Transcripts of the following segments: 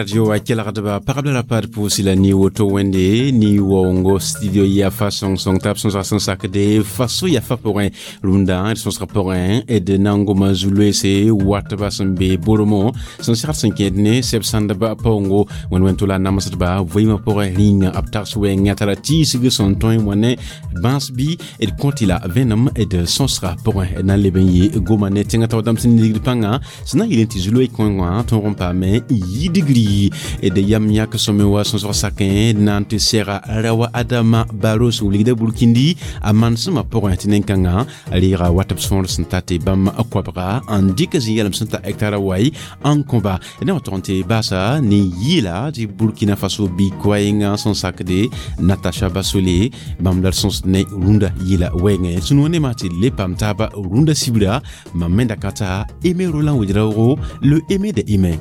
Radio a kelgdba pagb la rapad pʋʋs la ni woto wẽnde ni waoongo studio yafa sõng-sõng tab sõsg sẽn sakde faso yafa pʋgẽ rũndã d sõsg pʋgẽ d na n goma zu-loeese watba sẽn be Boromo sẽn segd sẽn kẽed ne sɛb sãndba paoongo wẽnd wẽn tʋla namsdba vɩɩmã pʋgẽ rĩnga b tags wɛɛngã tara tiisg sẽn tõe wã ne bãas bɩ d kõtɩ la vẽenem d sõsga pʋgẽ d na n leb n yɩ goma ne tẽngã tao dãmb sẽn ligd pãnga sẽn na n yɩl n tɩ zu-loe kõe wã tõog n paame yi digri d yam yãk sõme wa sõsg sakẽ d na n tɩ sɛga rawa Adama Baro sẽn wilgda burkindi a manesmã pʋgẽ tɩ nen-kãngã reega wat b sõor sẽn ta tɩ bãmb koabga n dɩk zĩ-yɛlem sẽn ta hectara wai n kõba d na wa tog n tɩ baasa ne yɩɩla tɩ Burkina Faso bɩ koɛɛngã sẽn sakde Natacha Basole bãmb la d sõsd ne rũndã yɩɩla wɛɛngẽ sũ-noog nemã tɩ le paam taaba rũndã sibra mam me da ka ta Aimé Roland Ouedraogo, le Aimé de Aimé.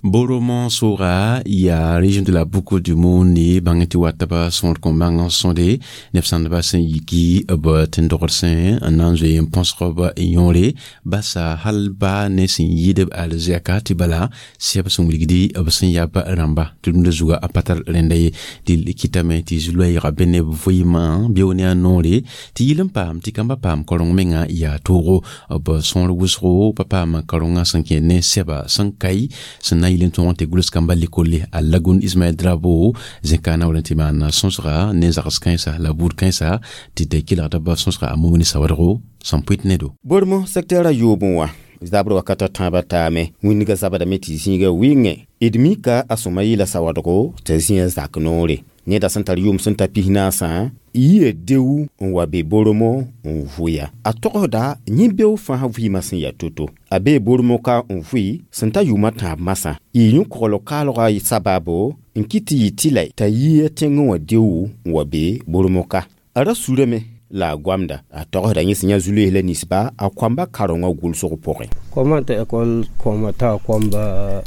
Boromo soga ya région de la Boucle du Mone bãng tɩ watba sõor kõ bãng n sõde neb sãndba sẽn yiki b tẽn-dogd sẽ n na n zoe n põsg b yõore basa hal ba ne sẽn yɩɩd b alzɛka tɩ bala sɛb sẽn wilgdi b sẽn yaa b rãmba tɩ rũndã zuga a pa tar rẽnda ye tɩ kɩtame tɩ zu-loɛɛga be neb vɩɩmã beo ne a noore tɩ yɩl n paam tɩ kamba paam kareng menga yaa toogo b sõor wʋsgo pa paam karengã sẽn kẽ ne sɛba sẽn kai sẽn na n yɩl n tõog n tɩ gʋls kamba lekolle a Lagun Ismaël Drabo zẽka na wala n tɩ maan sõsga ne zags kãensa la buud kãensa tɩ d kelgda b sõsga a Mumini Sawadgo sẽn pʋɩt ne do. Boromo secteur a yoobẽ wã zabr wakata tãabã taame wĩndgã zabdame tɩ zĩiga wɩngẽ d mika a sõma yɩla sawadgo t'a zĩa zak noore neda sẽn tar yʋʋm sẽn ta 45 yia deu n wa be Boromo n vʋya a togsda yẽ beo fãa vɩɩmã sẽn yaa to-to a bee Boromo ka n vʋɩ sẽn ta yʋʋmã tãab masã yɩ yõ-kogl kaalgã sabaabo n kɩt tɩ yɩ tɩ la t'a yia tẽngẽ wã deu n wa be Boromo ka a ra surame la a goamda a togsda yẽ sẽn yã zu-loees la ninsba a koamba karengã gʋlsg pʋgẽ. Kɔma t'a école kɔma t'a koamba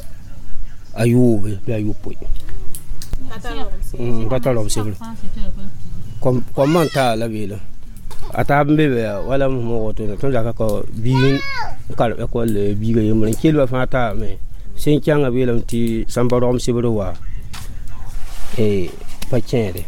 a yoobe bɩ a yopoe pa tar rog sebr kɔm n taa la beela a taab n be be wala m woto tõnd zaka ka biig n karem école biiga yembre n kelba fãa taame sẽn kẽngã beelame tɩ sãn pa rogem sebr wa pa kẽede.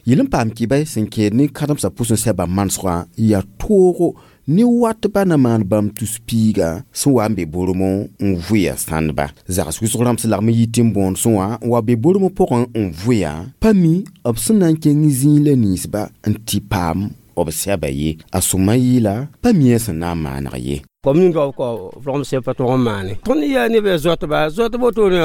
Yɩl n paam kɩba sẽn kẽed ne kãdemsã pʋsẽ sɛba manesgã yaa toogo ne watba na maan bãmb tus piiga sẽn wa n be Boromo n vʋya sãndba zags wʋsg rãmb sẽn lagm n yit n bõond sẽn wã n wa be Boromo pʋgẽ n vʋya pa mi b sẽn na n kẽng zĩig la ninsba n tɩ paam b sɛba ye a sõma yɩɩla pa mi a sẽn na n maaneg ye. Kom ning rog kɔ rogem sɛb pa tog n maane tõnd yaa neb yaa zoatba zoatb wotone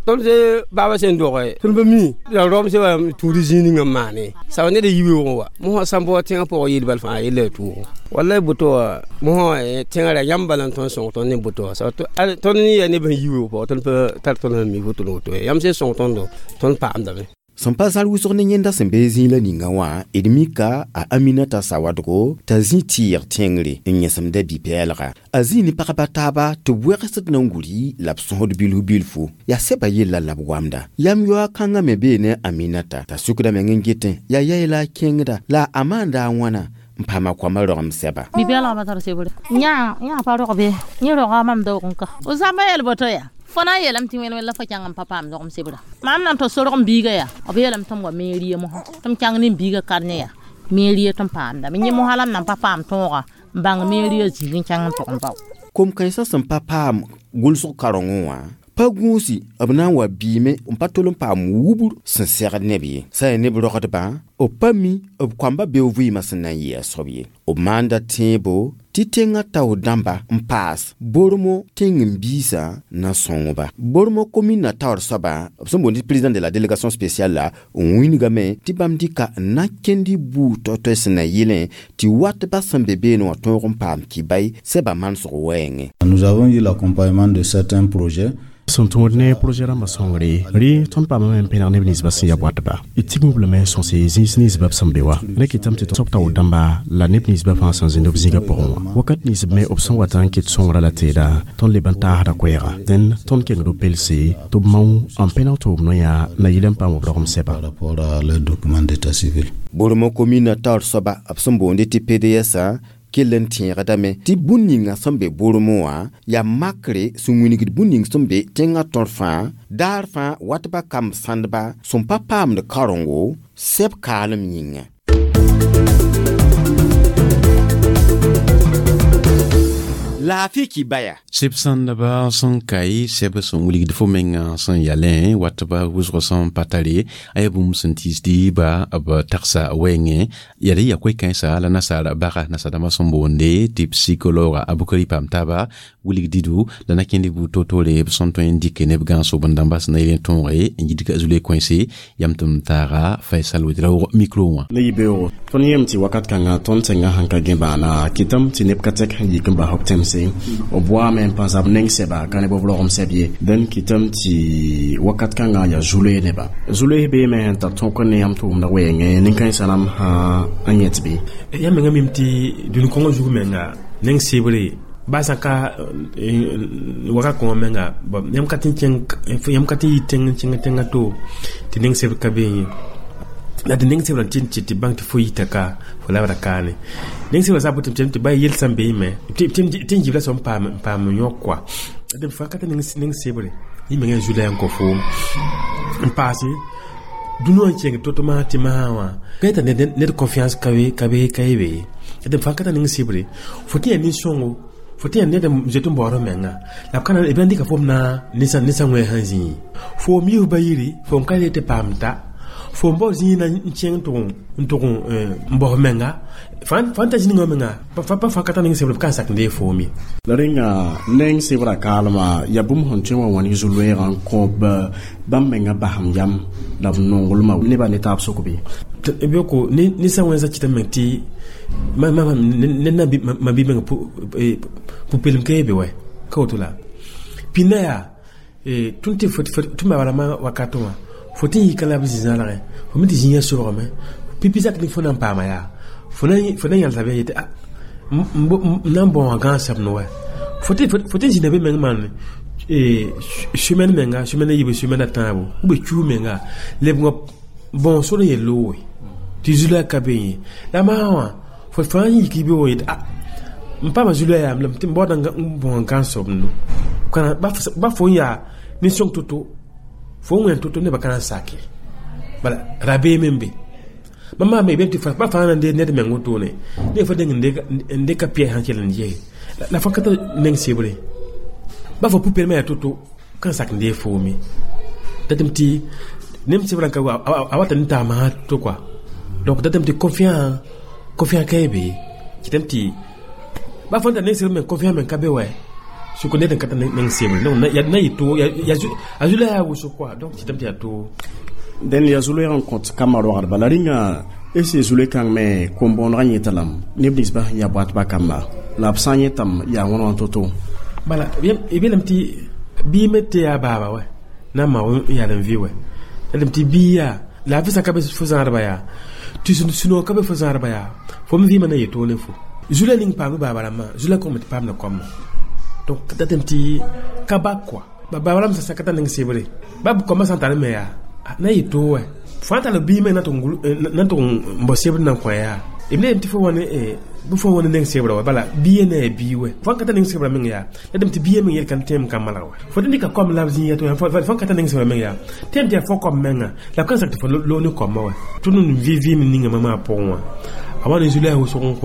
tõnd se baaba sẽn doge tõnd pa mi la rogem sɛba tũud zĩig ninga n maane saba ned a yibeoogẽ wa mosã sãn bao tẽngã pʋgã yeel bal fãa yella ya toogo wallay boto wã mosã tẽngã ra yãmb bala n tõnd sõng tõnd ne boto wã tõnd ne yaa neb sẽn yibeoog pʋgã tõnd pa tar tõnd sẽn mi woto woto yãmb sẽn sõng tõndo tõnd paamdame. Sẽn pa zãl wʋsg ne yẽnda sẽn be zĩig la ninga wã d mika a Aminata Sawadgo t'a zĩ tɩɩg tẽngre n yẽsemda bi-pɛɛlga a zĩ ne pagba taaba tɩ b wɛgsd na n guri la b sõsd bilf bilfu yaa sɛba yella la b goamda yam yoa kãngã me bee ne Aminata t'a sukda meng n getẽ yaa yaɩ la a kẽngda la a maanda a wãna n paama koamã rogem sɛba. Bi-pɛɛlgã pa tar sebre yã yã pa rog be yẽ roga mam daoog n ka f zãmba yɛl boto yaa fo na n yeelame tɩ wẽn la fo kẽng n pa paam dogem sebra mam na n tɩ sorg n biiga yaa b yeelame tɩ m wa mairie mosã tɩ m kẽng ne n biiga karnẽ yaa mairie tɩ m paamdame yẽ mosã la m na n pa paam tõoga n bãng mairie zĩig n kẽng n tʋg n bao. Kom-kãensã sẽn pa paam gʋlsg karengẽ wã pa gũusi b na n wa biime n pa tol n paam wubr sẽn segd neb ye sã yaa neb rogdbã b pa mi b koamba beo vɩɩmã sẽn na n yɩ a soab ye b maanda tẽebo tɩ tẽngã tao dãmba n paas Boromo tẽng-n-biisã na sõngba Boromo commune taoor soaba b sẽn boond tɩ président de la délégation spéciale la n wĩnigame tɩ bãmb dɩka n na kẽnd buud toay-toay sẽn na yɩlẽ tɩ watba sẽn be beene wã tõog n paam kɩbai sɛba manesg wɛɛngẽ. Nous avons eu l'accompagnement de certains projets. Sẽn tõod ne projet rãmbã sõngre rẽ tõnd paamame n pẽneg neb ninsbã sẽn ya watba d tigim lame n sõse zĩig nins ninsbã b sẽn be wa rẽ kɩtame tɩ b taoor dãmba la neb ninsbã fãa sẽn zĩnd b zĩigã pʋgẽ wã wakat nins b me b sẽn wat n kɩt sõngrã la teeda tõnd leb n taasda koɛɛga dẽn tõnd kengd b pelse tɩ b mao n pẽneg tɩ b noyã na yɩl n paam b rogem sɛba. Par rapport à leur document d'état civil. Bormã komina taoor soaba b sẽn boonde tɩ PDS kell n tẽegdame tɩ bũn ninga sẽn be bormẽ wã yaa makre sẽn wilgd bũn ning sẽn be tẽngã tõr fãa daar fãa watba kamb sãndba sẽn pa paamd karengo sɛb kaalem yĩnga. Laafɩ kibaya. Seb sãndba sẽn kae sɛb sẽn wilgd fo menga sẽn yalẽ watba wʋsg sẽn pa tare a yaa bũmb sẽn tiisd ba b tagsa wɛɛngẽ yaa ya koe-kãensa la nasaar baga nasaar-dãmbã sẽn boonde tɩ psikologa a Bukari paam taaba wilg didu la na kẽnd buud toor-toore b sẽn tõe n dɩk neb gãag-sob n dãmba sẽn na yel n tõoge n yidg zule kõense yam tɩ m taaga Faisal Ouedraogo micro wã. Ne yibeoogo tõnd yem tɩ wakat kãngã tõnd tẽngã sẽn ka gẽ baana kɩtame tɩ neb ka tɛk sẽn yik n bas b tẽmse b waame n pãs b neng sɛba ka ne b rogem sɛb ye dẽn kɩtame tɩ wakat kãngã yaa zu-loees neba zu-loees beeme sẽn tar tõk n ne yãmb tʋʋmdã wɛɛngẽ nin-kãensã rãmb sã n yẽt bɩ. Yãmb menga mim tɩ dũni kõngã zug menga neng sebre ba sã ka wakat kõngã menga yãmb ka tɩ yãmb ka tɩ yɩ tẽng n kẽng tẽngã to tɩ neng sebr ka bee ye la tɩ neng sebra tɩ tɩ bãng tɩ fo yita ka fo labra kaane neng sebra sã botɩ tɩ ba yel sã n bee me tɩ n gibla sẽn paam n yõk koa d fa ka tɩ neng sebre yẽ menga yaa zu-la n kõ foom n paase dũni wã n kẽng to-to masã tɩ masã wã ka yeta ned confiance ka be ka ye be d fa ka tɩ neng sebre fo tɩ yaa nin-sõngo fo tɩ yaa ned n zoet n baood menga la b ka b na n dɩka fom na ninsa wẽ sẽn zĩi fo m yiis ba yiri fo n ka le tɩ paam ta fo n bao zĩig na n kẽng n tʋg n baos menga fãa ta zĩ ninga menga pa fãa ka tar ning sebr b ka n sak n dee foom ye. La rẽnga neng sebra kaalma yaa bũmb sẽn tõe wã wãn zu-loeegã n kõ bãmb menga basem yam la b nonglmã nebã ne taab sʋk bɩ. Bɩ ninsa wẽnsã kɩtame meng tɩ ned na ma bi menga pʋ-peelem ka ye be wɛ ka woto la pĩndã yaa tõnd tɩ tɩ ma bala wakatẽ wã fo tɩ n yika la b zĩ-zãlgẽ fo me tɩ zĩigã sobgame pipi zak ning fo na n paama yaa fo na n yãlsa be yetɩ n na n bão wã gãag sɛbd wɛ fo tɩ n zĩnda be meng maan semaine menga semaine a yiib semaine a tãabo ou bien kiu menga lebgã bão sor n yel looge tɩ zu-la ka be yẽ la maa wã fo fãa n yik be wã yetɩ n paama zu-la yaam lame tɩ m baooda n bão gãag sobendo ba fo n yaa nin-sõng to-to fo n wẽn to-to nebã ka na n sake bala rabeem n be mam maame bem tɩ pa fãa na n dee ned meng wotone ne fa deng n dɩka pɩa sãn kell n yee la fã ka tar neng sebre ba fo pʋ-peelmã yaa to-to ka n sak n dee foome datame tɩ nem sebrã ka a wata ne taamã to koa donc datame tɩ confiance ka ye be kɩtame tɩ ba fãn tar neng sebr meng confiance meng ka be wɛ sʋk ned n ka tar neng sebre donc na yɩ to a zu-la yaa wʋsg koa donc kɩtame tɩ yaa to. Dẽn yaa zu-loeeg n kõt kambã rogdba la rĩnga ese zu-loe-kãng me kom-bõonegã yẽta lame neb ninsbã sẽn yaa boatbã kamba la b sã n yẽtame yaa wãn wã to-to. Bala b yeelame tɩ bɩ me tɩ yaa baaba wɛ na n ma yaal n vɩ wɛ datame tɩ bii yaa laafɩ sã ka be fo zãadba yaa tɩ sũ-noog ka be fo zãadba yaa fo me vɩɩmã na yet to ne fo zu-la ning paam baaba rãmbã zu-la kongame tɩ paamda koamã donc datame tɩ ka bak koa baaba rãmb sã ka tar neng sebre ba b koamã sã n tar me yaa na yɩ to wɛ fãa tall bii me na tʋg n bao sebr na n kõ yaa b ne tɩ fo wã bɩ fo wã ne neng sebra wa bala bia ne yaa bii wɛ fãa ka tar neng sebra meng yaa la dame tɩ bia meng yel kan tẽem ka malg wɛ fo tɩ dɩka koam la b zĩig yaa fãa ka tar neng sebra meng yaa tẽem tɩ yaa fo koam menga la b ka sak tɩ fo loog ne koamã wɛ tõnd n vɩ vɩɩm ninga mamã pʋgẽ wã a wa ne zu-la yaa wʋsg n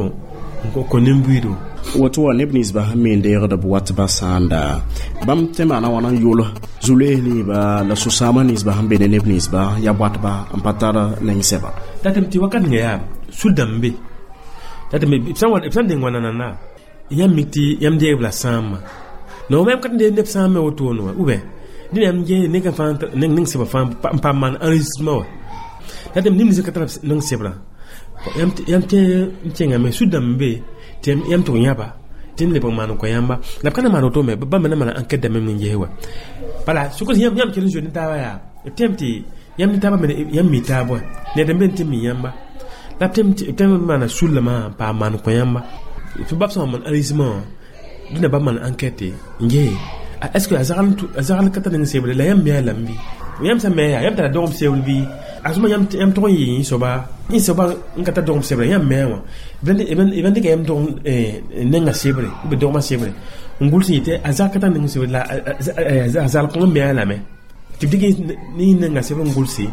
kõ nin-buiido. Woto wã neb ninsbã sẽn me n deegd b watbã sãanda bãmb tɩ maana wãna n yʋl zu-loees ninsba la sũ-sãamã ninsbã sẽn be ne neb ninsbã yaa boatba n pa tar neng sɛba. Datame tɩ wakat ninga yaa sũ-dãmb be datame b sã n deng wã nanana yãmb mik tɩ yãmb deegb la sãamã no yãmb ka tɩ deeg neb sãam me wotone wã ou bien dẽn yãmb ges neng fãa neng sebã fãa n paam maan enregistrement wã datame neb nins ka tar neng sebrã yãmb tẽ n kẽngame sũ-dãmb be tɩ yãmb tʋg yãba tɩ n lebg maan n kõ yãmba la b ka na maan woto me bãmb na maan enquête dãmb n ges wa bala sʋk yãmb kell n zoe ne taabã yaa b tẽem tɩ Yãmb ne taabã yãmb mi taab wa ned n be n tɩ mi yãmba la tɩ maana sullame n paam maan kõ yãmba tɩ bab sã n maan enregistrement wã dẽnda bab maan enquête n gee est ce que a zagl ka tar ning sebre la yãmb me a lame bɩ yãmb sã me yaa yãmb tara dogem sebr bɩ a sõma yãmb tʋg n yɩ yẽ soaba n ka tar dogem sebrã yãmb me wã b n dɩka yãmb dogem nenga sebre b dogmã sebre n gʋls n yetɩ a zag ka tar ning sebre la a zal kõng me a lame tɩ b dɩk ne nenga sebr n gʋlse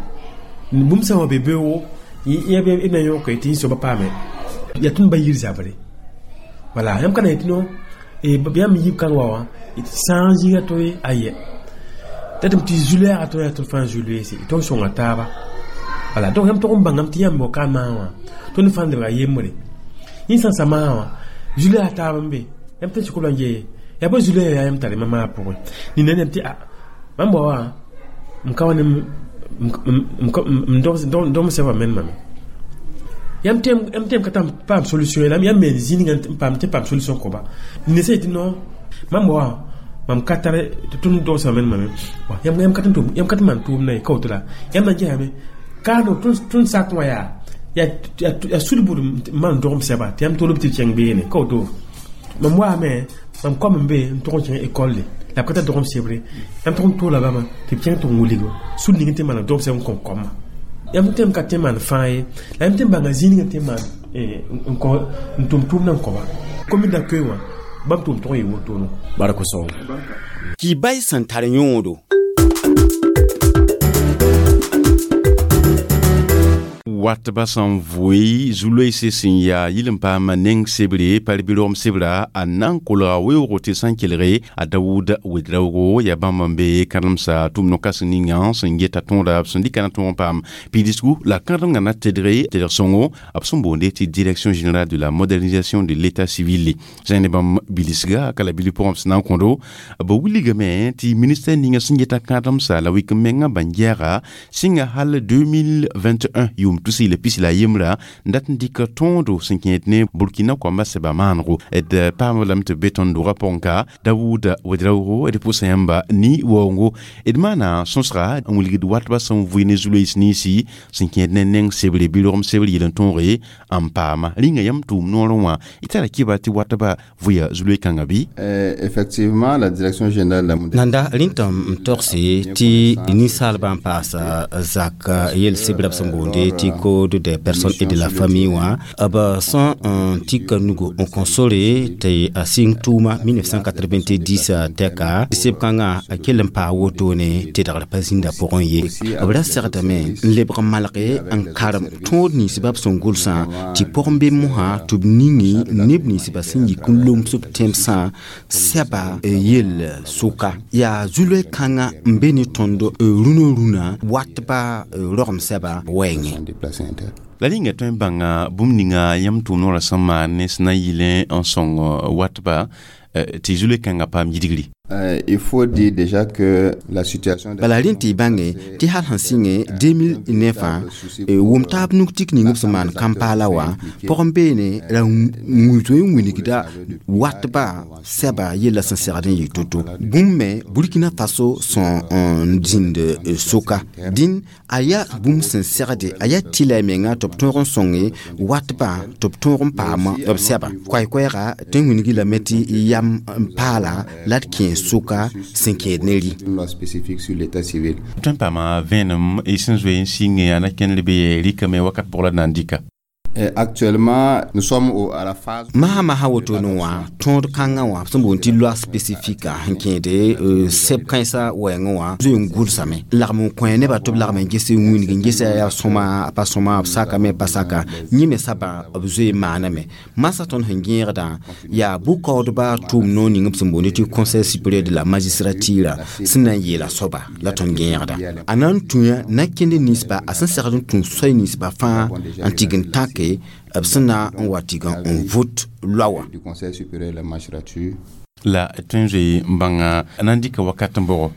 bũmb sã wã be beoogo b na yõke tɩ yẽ soaba paame yaa tõnd ba yir zabre wala yãmb ka na yetɩ no yãmb yib kãng wa wã sã n zĩiga to ye ayɛ datɩm tɩ zu-lɛɛga tõe yaa tõnd fãa zu-loeese tõnd sõnga taaba wala donc yãmb tʋg n bãngame tɩ yãmb ka maag wã tõnd fãa lebga yembre yẽ sã n sa maag wã zu-lɛɛga taab n be yãmb tɩ sɩk la n yee yaa bõe zu-lɛɛga yaa yãmb tare ma maag pʋgẽ nina yãmb tɩ a mam bao wã m ka wa ne m dogm sɛba menmame yãmb tẽem ka paam solution la yãmb me zĩ ninga n paam tɩ paam solution koba nina sã yetɩ non mam bao wã mam ka tar tɩ tõnd dogsã menmame yãmb ka tɩ maan tʋʋmda ye ka woto la yãmb na n gesame kaano tõnd sak wã yaa yaa sulbd n maan dogem sɛba tɩ yãmb tolb tɩ b kẽng beene ka woto mam waame mam kom n be n tʋg n kẽng école la b ka tar dogem sebre yãmb tʋg n toola bãmba tɩ b kẽng tɩ n wilgo sul ning tɩ maana dogem sɛb n kõ kɔmã yãmb tẽm ka tẽ maan fãa ye la yãmb tẽ n bãnga zĩig ninga tɩ maan n tʋm tʋʋmdã n kõba commune d'accueil wã bãmb tʋʋm tʋg n yɩ wotono barka sõngo kibay sẽn tar yõodo watba sẽn vʋɩ zu-loeese sẽn yaa yɩl n paam neng sebre par bɩ rogem sebra a na n kolga weoogo tɩ sã n kelge a Dawuda Wedraoogo yaa bãmb n be kãdemsa tʋʋm no-kãseng ninga sẽn geta tõoda b sẽn dɩka na tõog n paam pidisgu la kãdemgã na tedge tedg sõngo b sẽn boonde tɩ direction générale de la modernisation de l'état civil zẽ ne bãmb bilisga ka la bili pʋgẽ b sẽn na n kõdo b wilgame tɩ ministère ninga sẽn geta kãdemsa la wik n mengã bãn-gɛɛga sɩnga hal 2021 yʋʋm tus la pis la yembrã n dat n dɩk tõodo sẽn kẽed ne Burkina koambã sɛba maanego d paam lame tɩ b be tõnd dogã pʋgẽ ka Dawuda Wedraoogo d pʋsa yãmba ni waoongo d maana sõsga n wilgd watba sẽn vʋɩ ne zu-loees ninsi sẽn kẽed ne neng sebre bɩ rogem sebre yel n tõoge n paama rĩnga yãmb tʋʋm noorẽ wã y tara kɩba tɩ watba vʋya zu-loe-kãngã bɩ Effectivement, la direction générale de la nanda rĩntã n togse tɩ ninsaalbã n paasa zak yel sebra b sẽn boonde tɩ code des personnes et de la famille wã b sẽn n tika nugu n kõ sore tɩ a sɩng tʋʋma 1990 tɛka seb-kãngã a kell n paa wotone tedgr pa zĩnda pʋgẽ ye b ra segdame n lebg n malge n karem tõod ninsbã b sẽn gʋlsã tɩ pʋgẽ be mosã tɩ b ningi neb ninsbã sẽn yik n loms b tẽmsã sɛba yel sʋka yaa zu-loe-kãngã n be ne tõnd rũnã rũnã watba rogem sɛba wɛɛngẽ la rĩnga tõe n bãnga bũmb ninga yãmb tʋʋm noorã sẽn maan ne sẽn na n yɩlẽ n sõng watba tɩ zu-loe-kãngã paam yidgri Il faut dire déjà que la situation bala rẽn tɩ y bãnge tɩ hal sẽn sɩngẽ 2009 wʋm taab nug tik ning b sẽn maan kãmpaala wã pʋgẽ beene ra zoe n wilgda watba sɛba yella sẽn segd n yɩ to-to bũmb me Burkina Faso sẽn n zĩnd soka dĩn a yaa bũmb sẽn segde a yaa tɩla y menga tɩ b tõog n sõnge watbã tɩ b tõog n paam b sɛba koɛɛ-koɛɛga tõe n wilgi lame tɩ yam n paala la d kẽes soka sẽn kẽed ne rɩ une loi spécifique sur l'état civil. Tõe n paama vẽenem y sẽn zoe n sɩnge yaa na kẽnd be rɩkame wakat pʋg la d na n dɩka Actuellement, nous sommes à la phase masã masã wotone wã tõod kãngã wã sẽn boond tɩ loi spécifique sẽn kẽede sɛb kãensã wɛɛngẽ wã zoe n gʋlsame lagm n kõ nebã tɩ b lagm n ges n wilg n gesa yaa sõma a pa sõma b sakame pa saka yẽ me sabã b zoe n maaname masã tõnd sẽn gẽegdã yaa bʋ-kaoodba tʋʋm noor ning b sẽn boond tɩ conseil supérieur de la magistrature sẽn na n yeela soaba la tõnd gẽegda a na n tũya na kẽnd ninsba a sẽn segd n tũ soay ninsba fãa n tig n tãke b sẽn na n wa tɩg n vot loa wã du Conseil supérieur de la magistrature. La tõe n zoe n bãnga na n dɩka wakat n bʋgo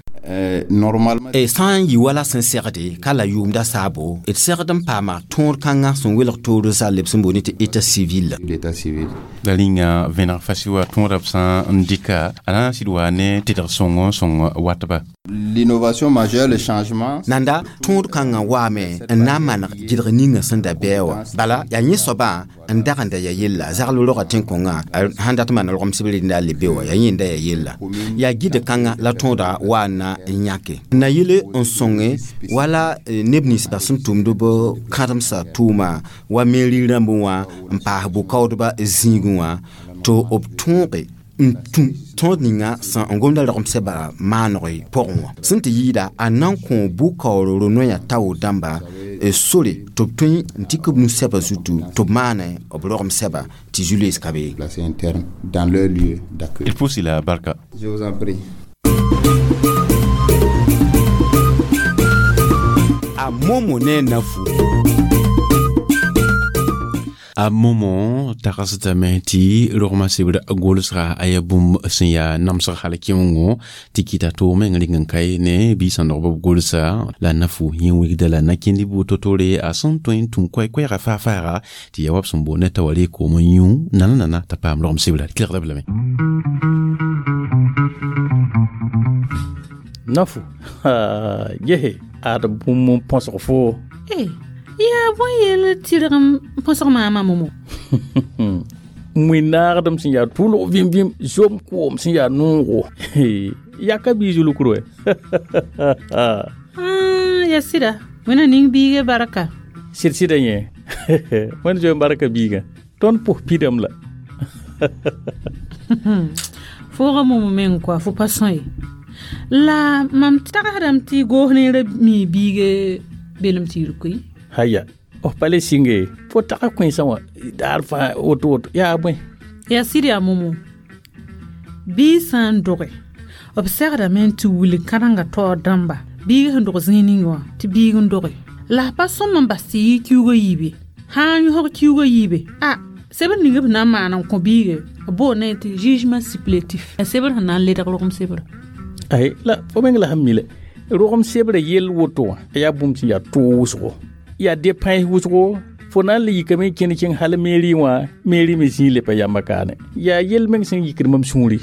Normalement, sã n yɩ wala sẽn segde ka la yʋʋmda saabo d segd n paama tõod kãngã sẽn welg toor zall b sẽn boond tɩ état civil l'état civil. La rĩnga vẽneg fasi wa tõoda b sã n dɩka a na n sɩd wa ne tedg sõngo n sõng watba L'innovation majeure, le changement. Nanda tõod kãngã waame n na n maneg gɩdg ninga sẽn da bɩa wã bala yaa yẽ soabã n dag n da ya yella zagl roga tẽn-kõngã sãn dat n maan rogem sebr rẽnda le be wã yaa yẽ n da ya yella yaa gɩd kãngã la tõoda wa n na n yãke n na yele n sõnge wala neb ninsbã sẽn tʋmd b kãdemsã tʋʋma wa meri rãmb wã n paas bʋ-kaoodbã zĩigẽ wã tɩ b tõoge n tũ tõod ninga sẽn n gomda rogem sɛba maaneg pʋgẽ wã sẽn tɩ yɩɩda a na n kõ bʋ-kaoor ro-noyã tao dãmba sore tɩ b tõe n tɩk b nu-sɛbã zutu tɩ b maane b rogem sɛba tɩ zu-loees ka be. Placé interne dans leur lieu d'accueil. Il faut la barka. Je vous en prie. A momo ne nafu. A momo tagsdame tɩ rogmã sebr gʋlsga a yaa bũmb sẽn yaa namsg hal kẽongo tɩ kɩta toog meng rɩng n kae ne bɩ sãndgb b gʋlsa la nafu yẽ wigda la na-kẽnd bʋ to-tore a sẽn tõe n tũm koɛ-koɛɛga faa-faaga tɩ yaa wa b sẽn boond t'a wa reeg koom n yũ nana-nana t'a paam rogem sebra kelgda b lame. Nafu gese ad bũmb n põsg foo. Yaa bõe yell tɩrg n põsg maamã momo? Wẽnnaagdem sẽn yaa tʋlg vĩm-vĩm zom koom sẽn yaa noogo yaka bii zulukr wɛ. Ya sɩda wẽna ning biigã barka. Sɩd-sɩda yẽ wẽnd zoe n barka biigã tõnd pʋs pidame la. Fooga momo meng koa fo pa sõ ye la mam tagsdame tɩ goos neerã mi biigã belem tɩ yir koe. Haya f pa le sɩnge fo taga kõensã wã daar fãa woto woto yaa bõe. Yaa sɩd yaa momo bɩ sã n doge b segdame tɩ wilg kãdengã taoor dãmba biig sẽn dog zĩig ning wã tɩ biig n doge la pa sõm n bas tɩ yɩ kiuugã yiibe sã n yõsg kiuugã yiibe a sebr ning b na n maan n kõ biige b boonda tɩ jugement supplétif a sebr sẽn na n ledg rogem sebra. Ay la fo meng la sẽn mi le rogem sebra yell woto wã yaa bũmb sẽn yaa toog wʋsgo yaa depães wʋsgo fo na n le yikame n kẽnd kẽng hal meri wã meri me zĩig le pa yamba kaane yaa yell meng sẽn yikd mam sũuri.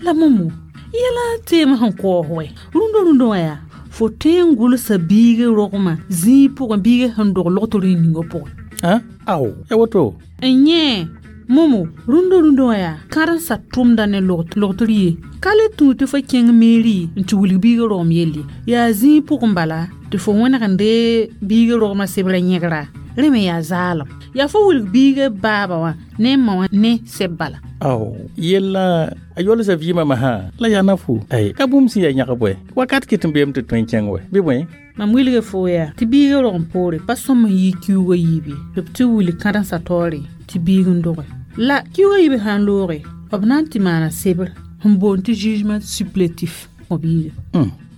La momo yɛla teem sẽn kaoos wɛ rũndã rũndã wã yaa fo tõe n gʋlsa biigã rogmã zĩig pʋgẽ biigã sẽn dog logtr rĩng ningã pʋgẽ. Ao ya woto. N yẽ momo rũndã rũndã wã yaa kãdensã tʋmda ne logtr ye ka le tũu tɩ fo kẽng meri n tɩ wilg biigã rogem yelle yaa zĩig pʋgẽ bala tɩ fo wẽneg n dee biigã rogmã sebra yẽgra rẽ me yaa zaalem yaa fo wilg biigã baaba wã ne ma wã ne seb bala. Ao yella a yolsa vɩɩmã masã la yaa nafu ay ka bũmb sẽn yaa yãg bɔe wakat kɩt n beem tɩ tõe n kẽng wɛ bɩ bõe. Mam wilga fo yaa tɩ biigã rogem poore pa sõm n yɩ kiuugã yiibe tɩ b tɩ wilg kãdensã taoore tɩ biig n doge la kiuugã yiib sã n looge b na n tɩ maana sebr sẽn boond tɩ jugement supplétif kõ biiga.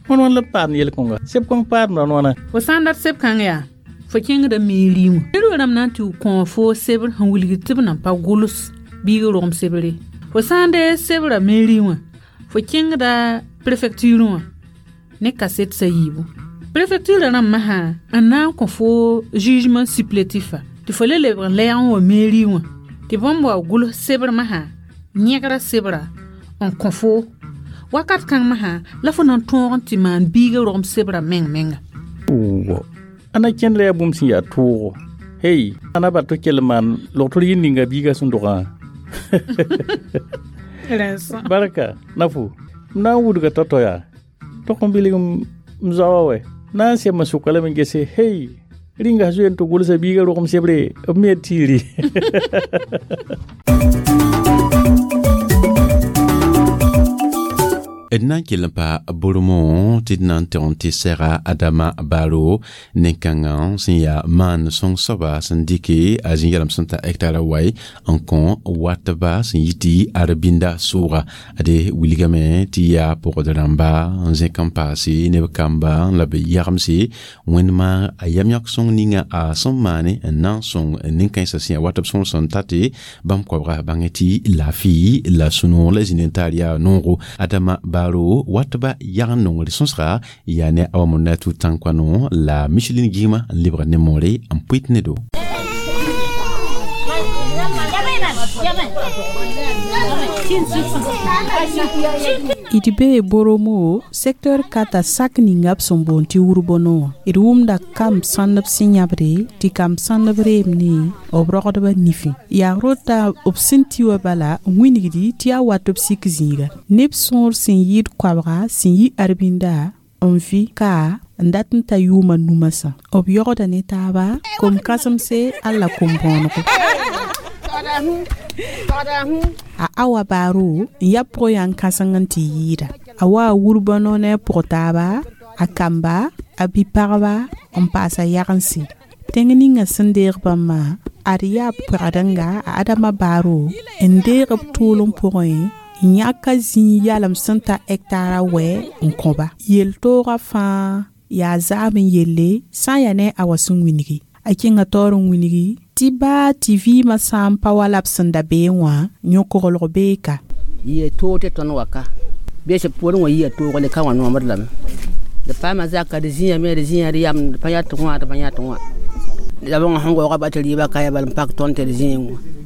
Wãn wãn la b paam yel-kõnga seb kõng paadmda wãna. Fo sã n dat seb kãng yaa fo kẽngda meri wã ned rãmb na n tɩ kõ fo sebr sẽn wilg tɩ b nan pa gʋls biigã rogem sebre fo sã n dee sebra meri wã fo kẽngda prefecture wã ne kaset sa yiibu prefecture rãmb masã n na n kõ fo jugement supplétif tɩ fo le lebg n lɛɛg n wa meri wã tɩ bãmb wa gʋls sebr masã yẽgra sebra n kõ fo wakat kãng masã la fo na n tõog n tɩ maan biigã rogem sebra meng menga. Ana kẽnd la yaa bũmb sẽn yaa toogo hey ana bat tɩ kell n maan logtr yɩ ninga biigã sẽn dogã. Barka nafu m na n wudga tao-tao yaa tog n bilg m zaoa wɛ na n sem n sʋka lame n gese hey rĩnga zoe n tɩ gʋlsa biigã rogem sebre b me tiiri. D na n kell n pa bormo tɩ d na n tɩg n tɩ sɛga Adama Baro nin-kãngã sẽn yaa maan sõng soaba sẽn dɩke a zĩ-yɛlem sẽn ta hectara wai n kõ watba sẽn yɩ tɩ Arbinda sʋʋga ade wilgame tɩ yaa pʋgd rãmba n zẽk n paase neb kamba la b yagemse wẽndma a yam yãk sõng ninga a sẽn maane n na n sõng nin-kãensã sẽn yaa watb sõng sẽn tate bãmb koabga bãngẽ tɩ laafɩ la sũ-noog la zĩnd n taar yaa noogo Adama Baro watba yag n nongr sõsga yaa ne a wa mo na tũ tãn-koano la Micheline Gɩɩma n lebg ne moore n pʋɩt ne do. D bee Boromo secteur kata sak ninga b sẽn boond tɩ Wʋrbono wã. D wʋmda kamb sãndb sẽn yãbde tɩ kamb sãndb reem ne b rogdbã nifẽ. Yaa rota b sẽn ti wã bala n wilgdi tɩ yaa wat b sik zĩiga. Neb sõor sẽn yɩɩd koabga sẽn yi Arbinda n vɩ ka n dat n ta yʋʋma numasã. B yogda ne taaba kom-kãsemse alla kom-bõonego. A awa baaro n ya pʋg kãseng n tɩ yɩɩda. A wa a Wʋrbono ne a pʋg taaba, a kamba, a bi-pagba n paas a yagense. Tẽng ninga sẽn deeg bãmbã ad yaa pʋgdẽnga a Adama Baaro n deeg b tʋʋlem pʋgẽ n yãk a zĩig yalem sẽn ta hɛktaar a wɛ n kõ-ba. Yel-toogã fãa yaa zaam n yelle sã n yaa ne a wa sẽn wilgi. A kẽnga taoor n wilgi tɩ baa tɩ vɩɩmã sã n pa wa la b sẽn da beẽ wã yõ-koglg bee ka. Yia toog tɩ tõnd wa ka bee sẽn poorẽ wã yia toogre ka wã noomd lame d paama zaka d zĩame d zĩ d yam d pa yã tɩ wã d pa yã tɩ wã la bõnga sẽn waooga ba tɩ rɩɩbã ka ya bala n pak tõnd tɩ d zĩig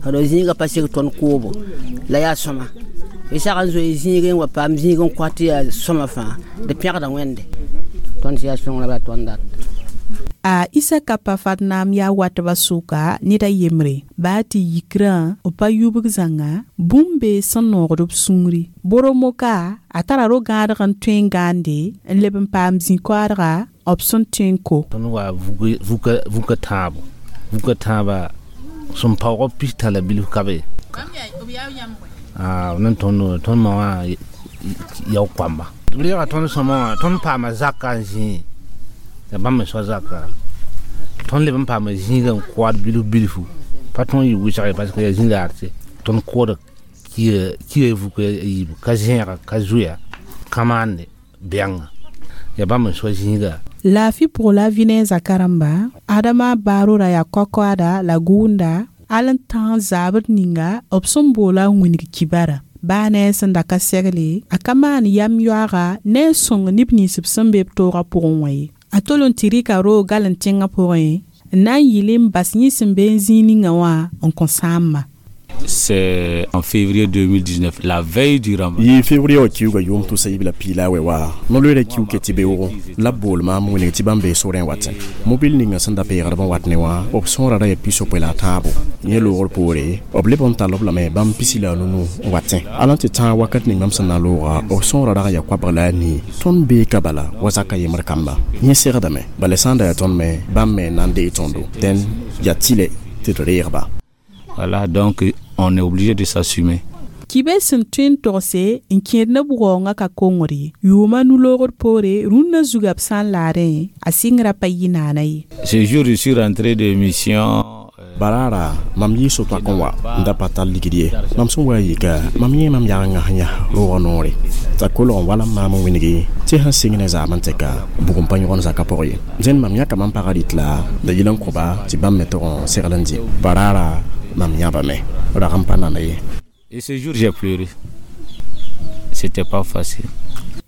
wã d zĩigã pa seg tõnd koobo la yaa sõma y sag n zoe zĩig n wa paam zĩig n kõ tɩ yaa sõma fãa d pẽgda Wẽnde tõnd sẽn yaa sõng la bala tõnd dat. A Isaka pa Fatnaam yaa watbã sʋka ned a yembre baa tɩ yikrã b pa yubg zãnga bũmb bee sẽn noogd b sũuri. Boromo ka a tara ro-gãadg n tõe n gãande n leb n paam zĩ-koaadga b sẽn tõe n ko. Tõnd wa vuka tãabo vuka tãaba sẽn paoog pista la bilf ka be nan tõnd tõnd ma wã yao koamba b reega tõnd sõma wã tõnd paama zaka n zĩe la bãmb me soa zaka tõnd leb n paama zĩigã n koad bilf bilfu pa tõnd yɩ wɩsg ye parce que yaa zĩ-laar tɩ tõnd kooda kiya vuka yiibu ka zẽega ka zoeya ka maande bɛnga yaa bãmb n soa zĩiga. Laafɩ pʋg la vɩnɛɛsã karemba Adama Baaro ra yaa koakoada la gʋʋnda al n tãag zaabd ninga b sẽn boola n wilg kibara. Baa ne a sẽn da ka segle a ka maan yam yoaaga ne n sõng neb nins b sẽn be b toogã pʋgẽ wã ye. A tol n tɩ rɩka roog gal n tẽngã pʋgẽ n na n yɩl n bas yẽ sẽn be n zĩig ninga wã n kõ sãamba. C'est en février 2019, la veille du Ramadan. Yɩ février wã kiuga yʋʋm tʋsa yib la piila wɛ wa no-loeera kiu ke tɩ beoogo la b bool maam wilg tɩ bãmb bee sorẽ watẽ mobil ninga sẽn da peegdb n wat ne wã b sõora ra yaa pisopoe la a tãabo yẽ loogr poore b leb n tall b lame bãmb pisi la a nunu n watẽ ala tɩ tãag wakat ning bãmb sẽn na looga b sõora rag n yaa koabg la a nii tõnd bee ka bala wa zaka yembr kamba yẽ segdame bala sã n da yaa tõnd me bãmb me n na n dee tõndo dẽn yaa tɩlɛ tɩ d reegba. Voilà, donc on est obligé de s'assumer. Kibe sẽn tõe n togse n kẽed neb waoongã ka kongr ye. Yʋʋma nu-loogr poore rũnnã zuga b sã n laadẽ a sɩngrã pa yɩ naana ye. Ce jour, je suis rentré de mission. Baraara mam yɩ so-toak n wa n da pa tall ligd ye mam sẽn wa n yika mam yẽ mam yagenga sẽn yas roogã noore t'a kolg n wala n maam n wilgi tɩ sẽn sɩng ne zaam n tɛka bugum pa yõgen zakã pʋg ye dẽnd mam yãka mam pagã rɩt la da yɩl n kõba tɩ bãmb me tog n segl n dɩ baraara mam yãbame rag n pa nana ye. Et ce jour, j'ai pleuré. C'était pas facile.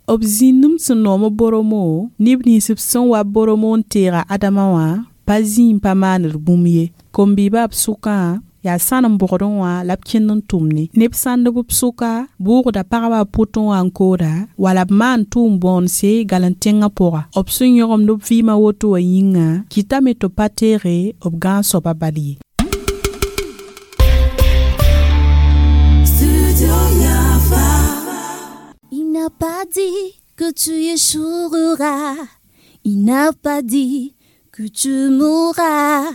B zĩnnem sẽn noom Boromo neb nins b sẽn wa Boromo n teega Adama wã pa zĩ n pa maand bũmb ye. Kom-biibã b sʋkã yaa sãnem bʋgdẽ wã la b kẽnd n tʋmne neb sãndb b sʋka bʋʋgda pagba pʋtẽ wã n kooda wala b maan tʋʋm bõonse gal n tẽngã pʋga b sẽn yõgemd b vɩɩmã woto wã yĩnga kɩtame tɩ b pa teege b gãag soabã bal ye. Il n'a pas dit que tu échoueras. Il n'a pas dit que tu mourras.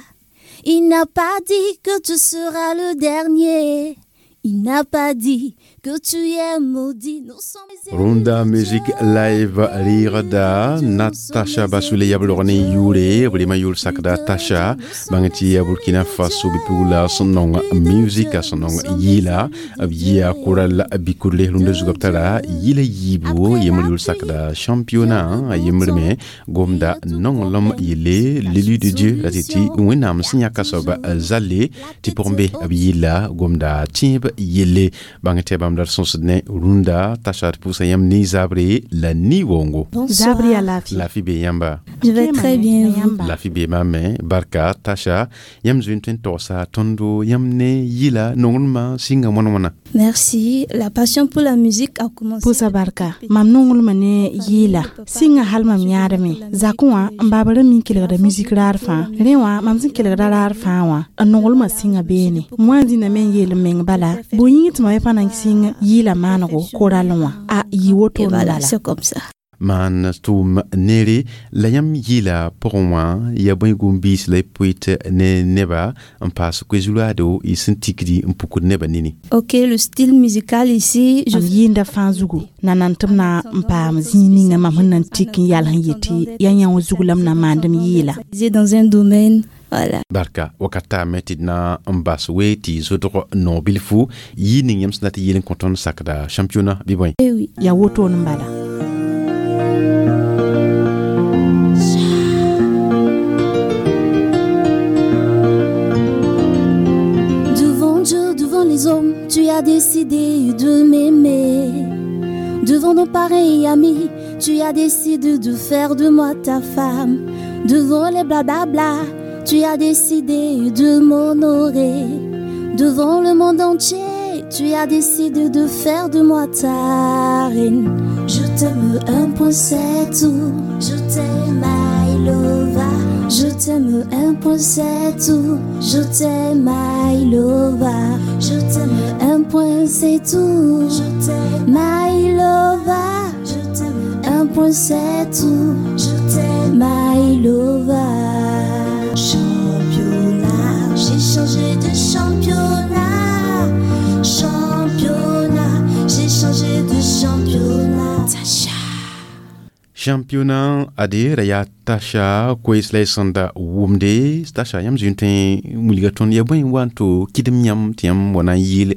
Il n'a pas dit que tu seras le dernier. Il n'a pas dit que tu es maudit. Nous sommes Runda Music Live Lirda Natasha Basule Yablorne Yure Vrema Yul Sakda Tasha Bangati Burkina Faso Bipula son nom music son nom Yila Yia Kural Bikurle Runda Zugaptara Yila Yibo Yemul Yul Sakda championnat Yemulme Gomda non l'homme Yele l'élu de Dieu la titi Winam Sinyaka Soba Zale Tipombe Yila Gomda Timb Yele Bangati Bamdar sõsd ne rũndã t'a pʋʋsa yãmb ne zabre la ni-waoongo. Zabri ya lafi. Lafi be yãmba. Je vais très bien, vous. Lafi be maame barka Tasha yãmb zoe n tõe n togsa tõndo yãmb ne yɩla nonglmã sɩnga wãn wãna. Merci. La passion pour la musique a commencé. Pʋʋsa barka mam nonglmã ne yɩɩla sɩnga hal mam yãadme zakẽ wã n baaba ra mi n kelgda musik raar fãa rẽ wã mam sẽn kelgda raar fãa wã n nonglmã sɩnga beene m wa n zĩnda me n yeel m meng bala bʋ yĩng tɩ mam pa na n sɩng yɩɩla maanego koralẽ wã a yɩ woto Et n voilà, bala. c'est comme ça. Maan tʋʋm neere la yãmb yɩɩla pʋgẽ wã yaa bõe gom-biis la y pʋɩt ne neba n paas koe-zulaado y sẽn tikdi n pukd nebã nini? Ok, le style musical ici, je Mam yɩɩnda fãa zugu na nan tɩ m na n paam zĩig ninga mam sẽn na n tik n yals n yetɩ yaa yã wã zug la m na maand m yɩɩla. Dans un domaine, voilà. Barka wakat taame tɩ d na n bas we tɩ zodg no bilfu yɩ ning yãmb sẽn dat n yeel n kõ tõnd sakda championnat bɩ bõe? Eh oui. Yaa wotone n bala. Devant Dieu, devant les hommes, tu as décidé de m'aimer. Devant nos parents et amis, tu as décidé de faire de moi ta femme. Devant les blablabla, tu as décidé de m'honorer. Devant le monde entier, tu as décidé de faire de moi ta reine. Je t'aime un point, c'est tout. Je t'aime, I love. Je t'aime un point, c'est tout. Je t'aime, I love. Je t'aime un point, c'est tout. Je t'aime, I love. Je t'aime un point, c'est tout. Je t'aime, I love. Championnat, j'ai changé de championnat. Championnat, j'ai changé de championnat. Tasha. Championnat ade ra yaa Tasha koees la y sẽn da wʋmde. Tasha, yãmb zoe n tõe n wilga tõnd yaa bõe n wa n to kɩdem yãmb tɩ yãmb wa na n yɩɩl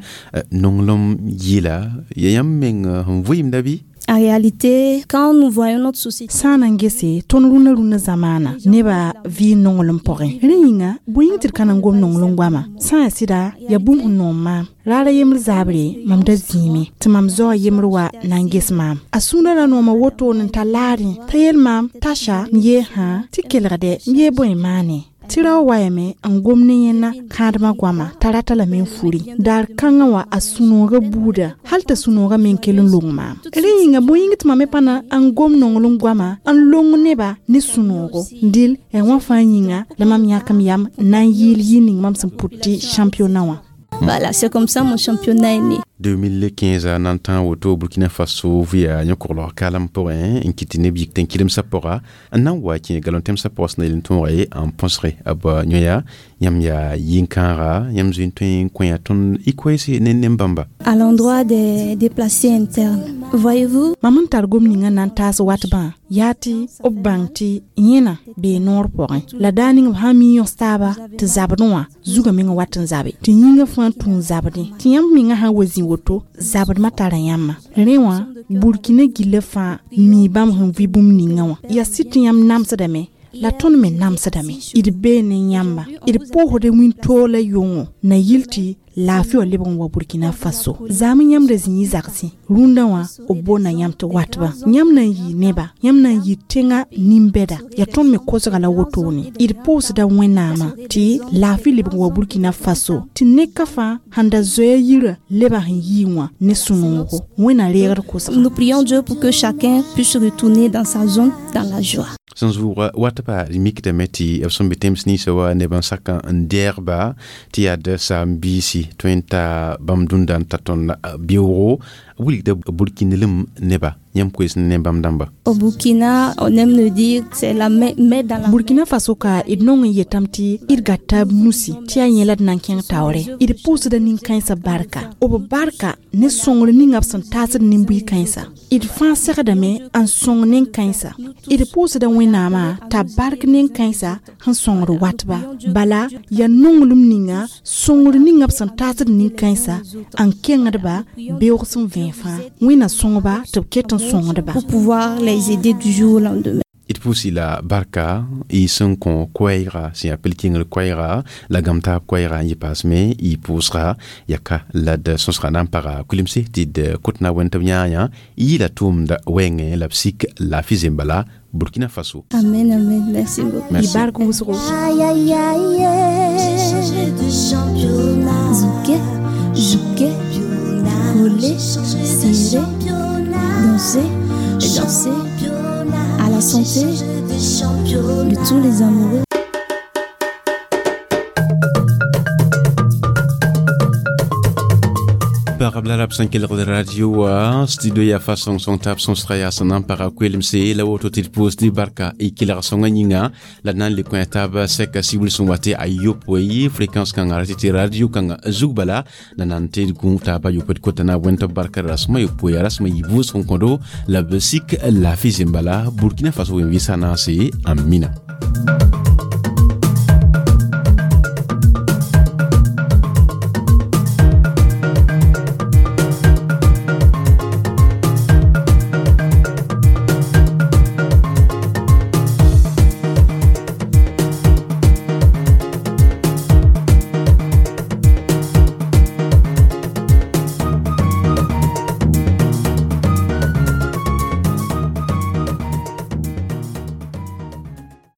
nonglem yɩɩla ya yãmb meng sẽn vɩɩmda bɩ? En réalité, quand nous voyons notre société, Sã n na n gese tõnd rũnã rũnã zamaana nebã vɩɩ nonglem pʋgẽ, rẽ yĩnga bõe yĩng tɩ d ka na n gom nonglem goama sã n yaa sɩda yaa bũmb sẽn noom maam raara yembr zaabre mam da zĩime tɩ mam zaoa yembr wa na n ges maam a sũurã ra nooma wotone n ta laarẽ t'a yeel maam Tasha m yee sã tɩ kelgdɛ m yee bõe maane tɩ rao wayame n gom ne yẽnna kãadmã goama t'a rata lame n furi daar kãngã wã a sũ-noogã buuda hal t'a sũ-noogã me n kell n long maam rẽ yĩnga bõe yĩng tɩ mam me pa na n gom nonglem goama n long neba ne sũ-noogo dɩl yaa wã fãa yĩnga la mam yãk m yam n na n yɩɩl yɩ ning mam sẽn pʋt tɩ championnat wã. Voilà, c'est comme ça mon championnat est né. 2015 nan tã woto Burkina Faso vɩa yõ-koglg kalam pʋgẽ n kɩt tɩ neb yik tɩ n kɩdemsã pʋga n na n wa kẽ galon tẽmsã pʋgã sẽn na yel n tõoga ye n põsge b yõ-yaa yãmb yaa yĩn-kãaga yãmb zoe n tõe n kõ tõnd y koeese ne nen-bãmba. À l'endroit des déplacés internes. Voyez-vous, Mam n tar gom ninga na n taas watbã yaa tɩ b bãng tɩ yẽna bee noor pʋgẽ la daa ning b sã n mi yõs taaba tɩ zabdẽ wã zugã meng wat n zabe tɩ yĩngã fãa tũ n zabdẽ tɩ yãmb mengã sã n wa zĩ woto zabdmã tara yãmba rẽ wã Burkina gillã fãa mii bãmb sẽn vɩ bũmb ninga wã yaa sɩd tɩ yãmb namsdame la tõnd me namsdame d bee ne yãmba d pʋʋsda wĩntoog la yʋngo na yɩl tɩ laafɩ wã lebg n wa Burkina Faso zaam yãmb ra zĩ yɩ zagsẽ rũndã wã b boonda yãmb tɩ watba yãmb na n yɩ neba yãmb na n yɩ tẽngã nin-bɛda yaa tõnd me kosga la wotone d pʋʋsda Wẽnnaamã tɩ laafɩ lebg n wa Burkina Faso tɩ neka fãa sẽn da zoeer yirã leba sẽn yii wã ne sũ-noogo Wẽnna reegd kosga. Nous prions Dieu pour que chacun puisse retourner dans sa zone dans la joie. Sẽn zʋʋga watba d mikdame tɩ b sẽn be tẽms ninsã wa neb n sak n dɛɛgba tɩ yaa d saam-biisi tõe n ta bãmb dũnda n ta tõnd beoogo wilgda burkinelem neba yãmb koees ne bãmb dãmba. Au Burkina, on aime le dire, c'est la main, main dans la Burkina Faso ka d nong n yetame tɩ d gata b nusi tɩ yaa yẽ la d na n kẽng taoore d pʋʋsda nin-kãensã barka b barka ne sõngr ninga b sẽn taasd nin-bui-kãensa d fãa segdame n sõng nen-kãensa d pʋʋsda Wẽnnaamã t'a bark nen-kãensa sẽn sõngd watba bala yaa nonglem ninga sõngr ninga b sẽn taasd nin-kãensa n kẽngdba beoog sẽn vẽe fãa Wẽnna sõngba tɩ b ket n sõngdba. Pour pouvoir les aider du jour au lendemain. D pʋʋs la barka y sẽn kõ koɛɛga sẽn yaa pel-kẽngr koɛɛga la gam-taab koɛɛga n yɩ paasme y pʋʋsga yaka la d sõsga na n paga kulemse tɩ d kot na wẽnd tɩ b yãa yã y yɩla tʋʋmda wɛɛngẽ la b sik laafɩ zembala Burkina Faso. Amen, amen. Merci beaucoup. Merci. Y bark wʋsgo. Aïe, aïe, aïe. J'ai changé de championnat. Zouké, Zouké. Voler, serrer, danser et danser à la santé de tous les amoureux. Pagb la rab sẽn kelgd radio wã studio yaa fa sõng-sõng taab sõsga yaa sẽn na n paga koelemse la woto tɩ d pʋʋs tɩ barka y kelg sõngã yĩnga la d na n le kõ taab sɛka sibl sẽn wa tɩ a yopoe fréquence kãngã ra tɩ tɩ radio kãngã zug bala la na n tɩ d gũ taaba yopoe d kota na wẽnd tɩ b barka rasmã yopoe yaa rasmã yɩ vʋʋsg n kõdo la b sik laafɩ zẽm bala Burkina Faso wẽn-vɩsã naase amina.